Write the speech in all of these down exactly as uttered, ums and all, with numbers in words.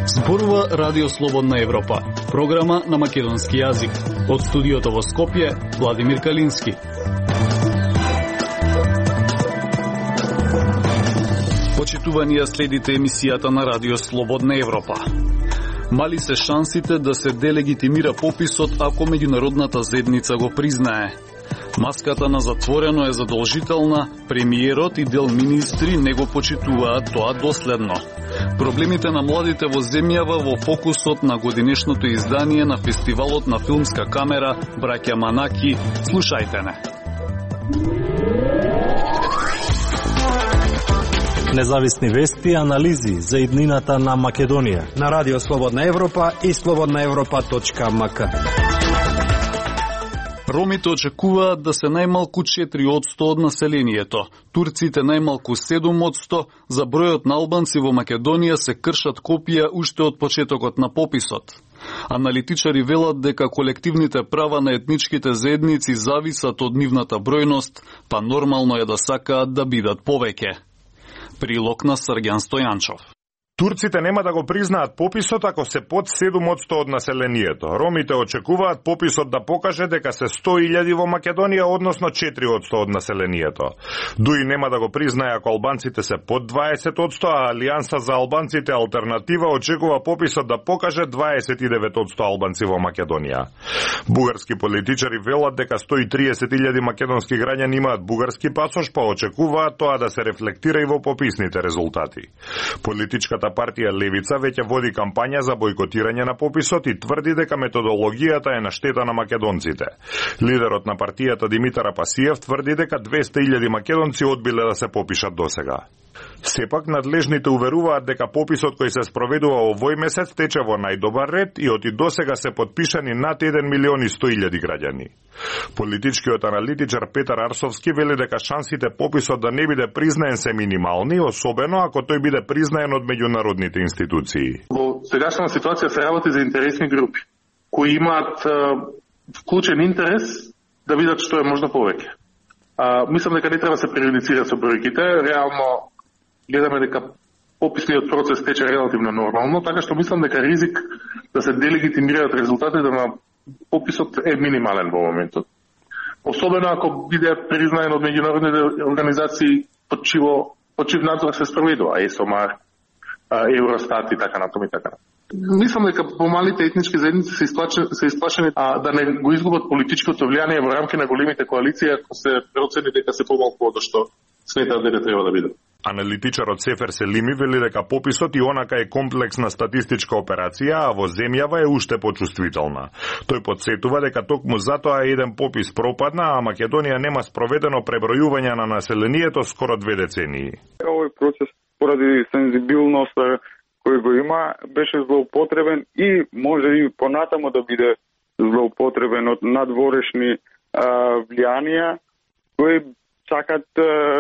Зборува Радио Слободна Европа, програма на македонски јазик. Од студиото во Скопје, Владимир Калински. Почитуванија, следите емисијата на Радио Слободна Европа. Мали се шансите да се делегитимира пописот ако меѓународната заедница го признае. Маската на затворено е задолжителна, премиерот и дел министри не го почитуваат тоа доследно. Проблемите на младите во земјава во фокусот на годинешното издание на фестивалот на филмска камера Браќа Манаки. Слушајте не. Независни вести и анализи за иднината на Македонија на Радио Слободна Европа и слободна европа точка ем ка. Ромите очекуваат да се најмалку четири одсто од населението, турците најмалку седум одсто, за бројот на албанци во Македонија се кршат копија уште од почетокот на пописот. Аналитичари велат дека колективните права на етничките заедници зависат од нивната бројност, па нормално е да сакаат да бидат повеќе. Прилог на Срѓан Стојанчов. Турците нема да го признаат пописот ако се под седум одсто од населението. Ромите очекуваат пописот да покаже дека се сто илјади во Македонија, односно четири одсто од населението. Дуи нема да го признае ако албанците се под дваесет одсто, а Алијанса за албанците Алтернатива очекува пописот да покаже дваесет и девет одсто албанци во Македонија. Бугарски политичари велат дека сто и триесет илјади македонски граѓани имаат бугарски пасош, па очекуваат тоа да се рефлектира и во пописните резултати. Политичката партија Левица веќе води кампања за бојкотирање на пописот и тврди дека методологијата е на штета на македонците. Лидерот на партијата Димитар Апасиев тврди дека двесте илјади македонци одбиле да се попишат досега. Сепак надлежните уверуваат дека пописот кој се спроведува овој месец тече во најдобар ред и од и досега се потпишани над еден милион и сто илјади граѓани. Политичкиот аналитичар Петар Арсовски вели дека шансите пописот да не биде признаен се минимални, особено ако тој биде признаен од меѓународните институции. Во сегашната ситуација се работи за интересни групи кои имаат вклучен интерес да видат што е можно повеќе. А, мислам дека не треба да се преюдицира со бројките. Реално гледаме дека пописниот процес тече релативно нормално, така што мислам дека ризик да се делегитимираат резултатите на пописот е минимален во моментот. Особено ако биде признаен од меѓународните организации под чиво под чив надзор се спроведува, ЕСОМАР, Евростат и така натаму и така. Мислам дека помалите етнички заедници се исплашени, се исплашени а, да не го изгубат политичкото влијание во рамки на големите коалиции, ако се процени дека се помалку од што сметаат дека треба да биде. Аналитичарот Сефер Селими вели дека пописот и онака е комплексна статистичка операција, а во земјава е уште почувствителна. Тој потсетува дека токму затоа еден попис пропадна, а Македонија нема спроведено пребројување на населението скоро две децении. Овој процес поради сензибилноста кој го има беше злоупотребен и може и понатамо да биде злоупотребен од надворешни а, влијанија кои сакат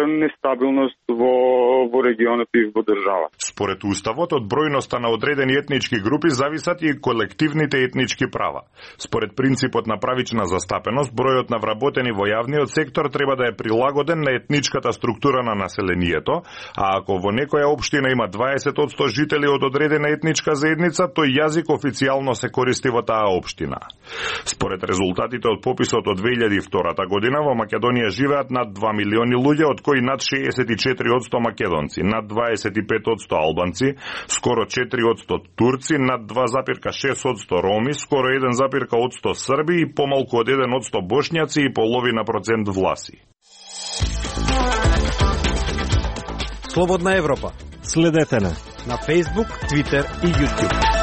нестабилност во, во регионот и во држава. Според Уставот, од бројноста на одредени етнички групи зависат и колективните етнички права. Според принципот на правична застапеност, бројот на вработени во јавниот сектор треба да е прилагоден на етничката структура на населението, а ако во некоја општина има дваесет одсто жители од одредена етничка заедница, тој јазик официјално се користи во таа општина. Според резултатите од пописот од две илјади и втора година во Македонија живеат над два милиони луѓе, од кои над шеесет и четири одсто македонци, над дваесет и пет одсто албанци, скоро четири одсто турци, над два запирка шест одсто роми, скоро еден запирка одсто срби и помалку од еден одсто бошњаци и половина процент власи. Слободна Европа. Следете на на Facebook, Twitter и YouTube.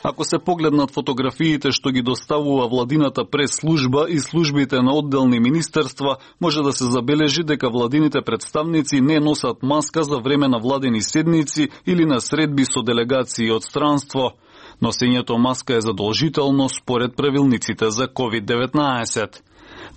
Ако се погледнат фотографиите што ги доставува владината прес-служба и службите на одделни министерства, може да се забележи дека владините представници не носат маска за време на владени седници или на средби со делегации од странство. Носењето маска е задолжително според правилниците за ковид деветнаесет.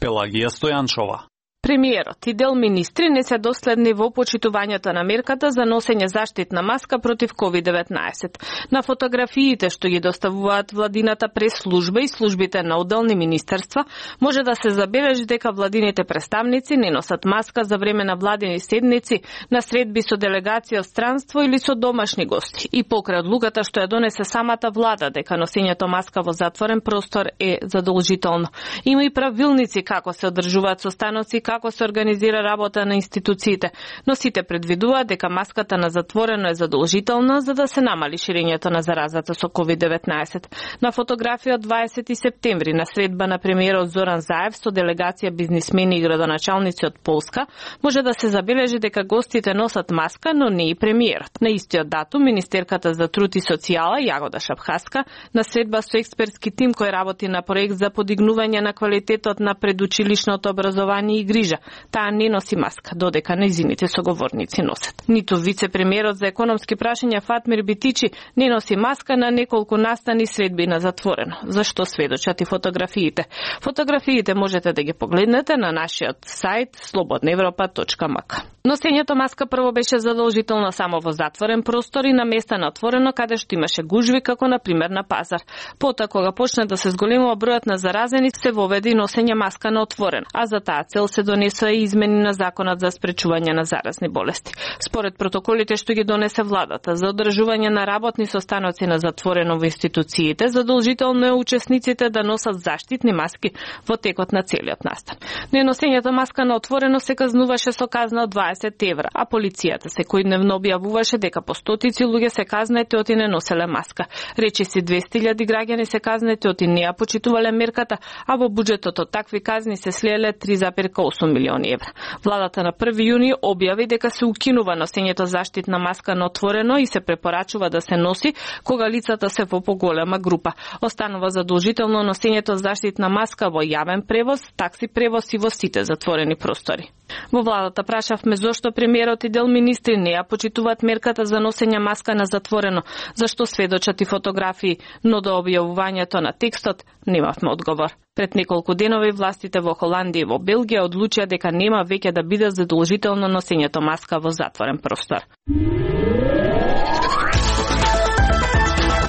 Пелагија Стојанчова. Премиерот и дел министри не се доследни во почитувањето на мерката за носење заштитна маска против ковид деветнаесет. На фотографиите што ги доставуваат владината прес-служба и службите на одделни министерства, може да се забележи дека владините представници не носат маска за време на владини седници, на средби со делегација од странство или со домашни гости. И покрај одлуката што ја донесе самата влада дека носењето маска во затворен простор е задолжително. Има и правилници како се одржуваат состаноци, како се организира работа на институциите, но сите предвидуваат дека маската на затворено е задолжителна за да се намали ширењето на заразата со ковид деветнаесет. На фотографија од дваесети септември на средба на премиерот Зоран Заев со делегација бизнисмени и градоначалници од Полска, може да се забележи дека гостите носат маска, но не и премиерот. На истиот датум, министерката за труд и социјала Јагода Шапхаска на средба со експертски тим кој работи на проект за подигнување на квалитетот на предучилишното образование и грижа. Таа не носи маска, додека нејзините соговорници носат. Ниту вице-премиерот за економски прашања Фатмир Битичи не носи маска на неколку настани средби на затворено. Зашто сведочат и фотографиите? Фотографиите можете да ги погледнете на нашиот сајт слободна европа точка м к. Носењето маска прво беше задолжително само во затворен простор и на места на отворено каде што имаше гужви, како на пример на пазар. Потоа кога почна да се зголемува бројот на заразени, се воведе и носење маска на отворено, а за таа цел се донесоа и измени на законот за спречување на заразни болести. Според протоколите што ги донесе владата за одржување на работни состаноци на затворено во институциите, задолжително е учесниците да носат заштитни маски во текот на целиот настан. Неносењето маска на отворено се казнуваше со казна од дваесет евра, а полицијата секојдневно објавуваше дека по стотици луѓе се казнети оти не носеле маска. Речиси двесте илјади граѓани се казнети оти не ја почитувале мерката, а во буџетот од такви казни се слееле три зарез осум милиони евра. Владата на први јуни објави дека се укинува носењето заштитна маска на отворено и се препорачува да се носи кога лицата се во поголема група. Останува задолжително носењето заштитна маска во јавен превоз, такси превоз и во сите затворени простори. Во владата прашавме зошто премиерот и дел министри не ја почитуваат мерката за носење маска на затворено, зашто сведочат и фотографии, но до објавувањето на текстот немавме одговор. Пред неколку денови властите во Холандија и во Белгија одлучија дека нема веќе да биде задолжително носењето маска во затворен простор.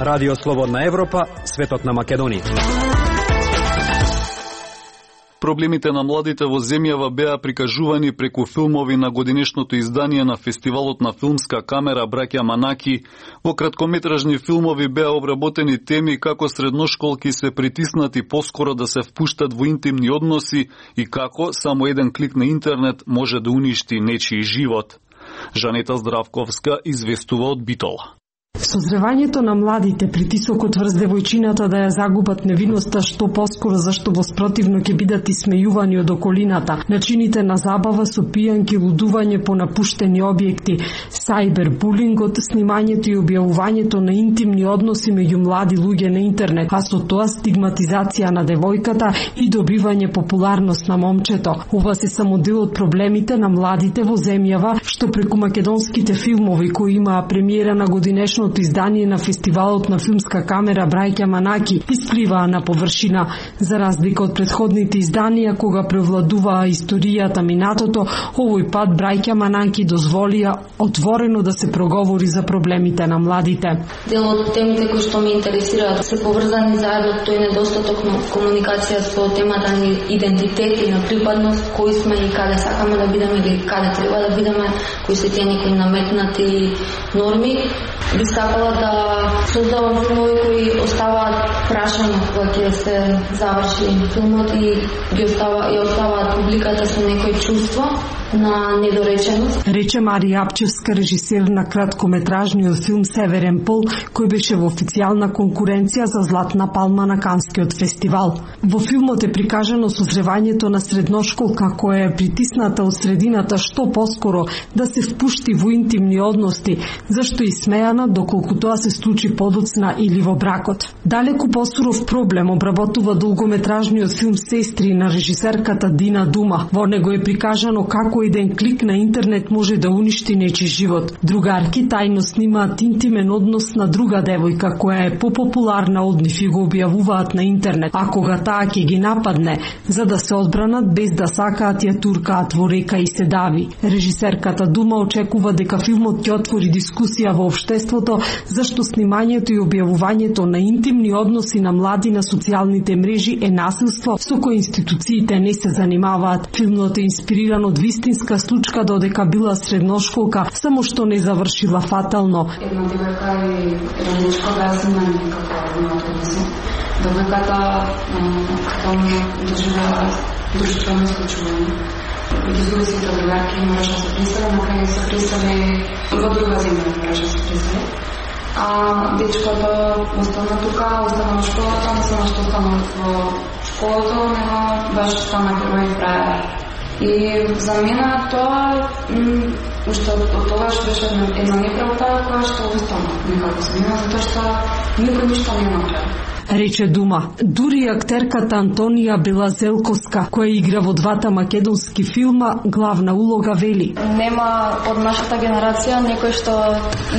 Радио Слободна Европа, светот на Македонија. Проблемите на младите во земјава беа прикажувани преку филмови на годинешното издание на Фестивалот на филмска камера Браќа Манаки. Во краткометражни филмови беа обработени теми како средношколки се притиснати поскоро да се впуштат во интимни односи и како само еден клик на интернет може да уништи нечiji живот. Жанета Здравковска известува од Битола. Созревањето на младите, притисокот врз девојчината да ја загубат невиноста што поскоро зашто во спротивно ќе бидат исмејувани од околината, начините на забава со пијанки, лудување по напуштени објекти, сајбербулингот, снимањето и објавувањето на интимни односи меѓу млади луѓе на интернет, а со тоа стигматизација на девојката и добивање популарност на момчето. Ова се само дел од проблемите на младите во земјава што преку македонските филмови кои имаа премиера на годинешно издание на Фестивалот на филмска камера Браќа Манаки испливаа на површина. За разлика од предходните изданија кога превладуваа историјата минатото, овој пат Браќа Манаки дозволија отворено да се проговори за проблемите на младите. Дел од темите кои што ме интересираат се поврзани заедно тој недостаток на комуникација со темата на идентитет и на припадност, кои сме и каде сакаме да бидеме или каде треба да бидеме, кои се тие некои наметнати норми. Би сакала да создавам филмови кои оставаат прашања кога ќе се заврши филмот и ги остава, и оставаат публиката со некој чувство на недореченост. Рече Марија Апчевска, режисер на краткометражниот филм Северен пол, кој беше во официјална конкуренција за Златна палма на Канскиот фестивал. Во филмот е прикажано созревањето на средношколка која е притисната од средината што поскоро да се впушти во интимни односи, зашто и смејана доколку тоа се случи подоцна или во бракот. Далеку посуров проблем обработува долгометражниот филм Сестри на режисерката Дина Дума. Во него е прикажано како како еден клик на интернет може да уништи нечи живот. Другарки тајно снимаат интимен однос на друга девојка која е попопуларна од нив и го објавуваат на интернет, а кога таа ќе ги нападне, за да се одбранат без да сакаат ја туркаат во река и се дави. Режисерката Дума очекува дека филмот ќе отвори дискусија во општеството зашто снимањето и објавувањето на интимни односи на млади на социјалните мрежи е насилство со кој институциите не се занимаваат. Филмот е инспириран од вистинска случка додека била средношколка, само што не завршила фатално. Една девојка и една дечко беа снимани како на автобуси. Девојката таму доживеа душтвено исклучување. Ги зуби сите другарки мораше да се присели, на крај се присели во друга земја мораше да се присели. А дечкото остана тука, остана во школата, не само што остана во школата, него баш стана герој фраер. И за мене тоа, уште од тогаш беше една неправда која што остана некако за мене, затоа што никој ништо не направи. Рече Дума. Дури актерката Антонија Белазелковска, која игра во двата македонски филма, главна улога вели. Нема од нашата генерација некој што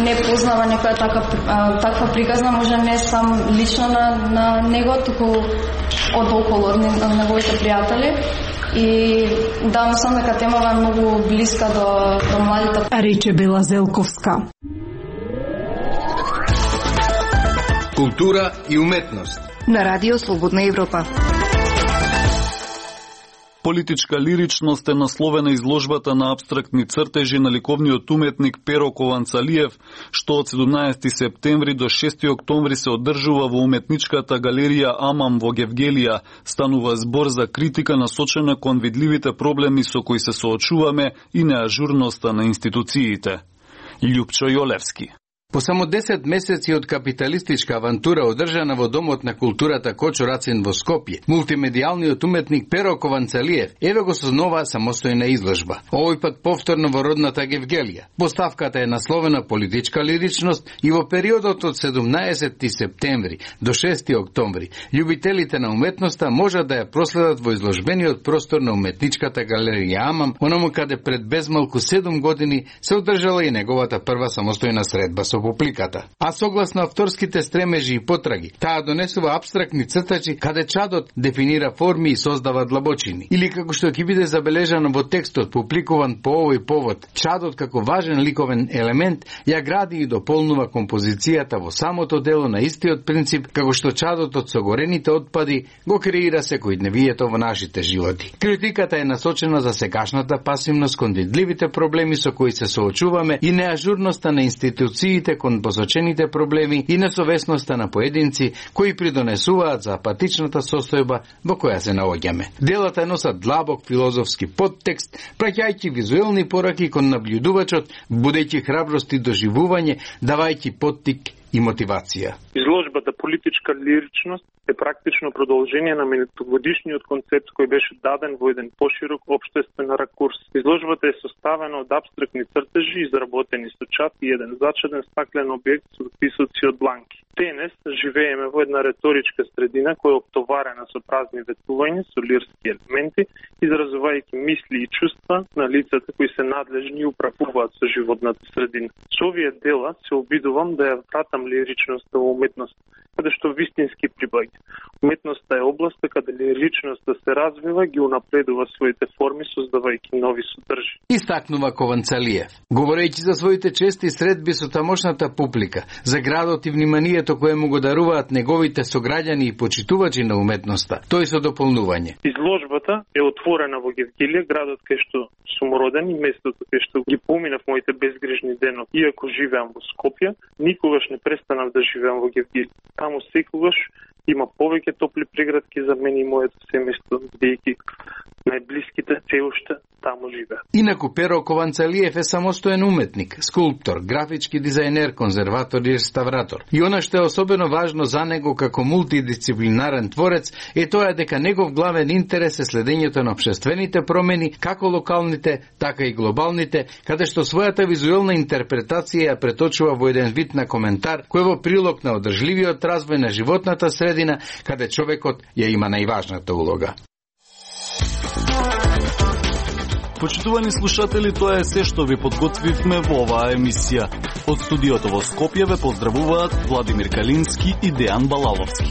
не познава некоја така, таква приказна, може не сам лично на, на него, туку од околу на неговите пријатели. И да, мислам дека темава е многу блиска до, до младите. Рече Белазелковска. Култура и уметност на Радио Слободна Европа. Политичка лиричност е насловена изложбата на апстрактни цртежи на ликовниот уметник Перо Кованцалиев, што од седумнаесети септември до шести октомври се одржува во уметничката галерија Амам во Гевгелија. Станува збор за критика насочена кон видливите проблеми со кои се соочуваме и неажурноста на институциите. Љупчо Јолевски. По само десет месеци од капиталистичка авантура одржана во Домот на културата Кочо Рацин во Скопје, мултимедијалниот уметник Перо Кованцалиев еве го со нова самостојна изложба. Овој пат повторно во родната Гевгелија. Поставката е насловена политичка лиричност и во периодот од седумнаесети септември до шести октомври љубителите на уметноста можат да ја проследат во изложбениот простор на уметничката галерија Амам, онаму каде пред безмалку седум години се одржала и неговата прва самостојна средба со публиката. А согласно авторските стремежи и потраги, таа донесува апстрактни цртачи каде чадот дефинира форми и создава длабочини. Или како што ќе биде забележано во текстот публикуван по овој повод, чадот како важен ликовен елемент ја гради и дополнува композицијата во самото дело на истиот принцип како што чадот од согорените отпади го креира секојдневието во нашите животи. Критиката е насочена за сегашната пасивност кон видливите проблеми со кои се соочуваме и неажурноста на институциите кон посочените проблеми и несовесноста на поединци кои придонесуваат за апатичната состојба во која се наоѓаме. Делата носат длабок филозофски подтекст, праќајќи визуелни пораки кон наблюдувачот, будејќи храброст и доживување, давајќи поттик и мотивација. Изложбата политичка лиричност е практично продолжение на минутогодишниот концепт кој беше даден во еден поширок општествен ракурс. Изложбата е составена од апстрактни цртежи изработени со чат и еден зачеден стаклен објект со писоци од бланки. Денес живееме во една реторичка средина која е оптоварена со празни ветувања, со лирски елементи, изразувајќи мисли и чувства на лицата кои се надлежни и управуваат со животната средина. Со овие дела се обидувам да ја вратам лиричноста во уметност, каде што вистински прибаѓа. Уметноста е областа каде лиричноста се развива, ги унапредува своите форми, создавајќи нови содржи. Истакнува Кованцалиев, говорејќи за своите чести средби со тамошната публика, за градот и вниманието кое му го даруваат неговите сограѓани и почитувачи на уметноста, тој со дополнување. Изложбата е отворена во Гевгелија, градот кај што сум роден и местото кај што ги поминав моите безгрижни денови. Иако живеам во Скопје, никогаш не престанав да живеам во Гевгелија. Таму секогаш има повеќе топли преградки за мене и моето семејство, бидејќи најблиските се уште таму живеат. Инаку Перо Кованцалиев е самостоен уметник, скулптор, графички дизајнер, конзерватор и реставратор. И она што е особено важно за него како мултидисциплинарен творец е тоа дека негов главен интерес е следењето на општествените промени, како локалните, така и глобалните, каде што својата визуелна интерпретација ја преточува во еден вид на коментар кој во прилог на одржливиот развој на животната средина, каде човекот ја има најважната улога. Почитувани слушатели, тоа е се што ви подготвивме во оваа емисија. Од студиото во Скопје ве поздравуваат Владимир Калински и Дејан Балаловски.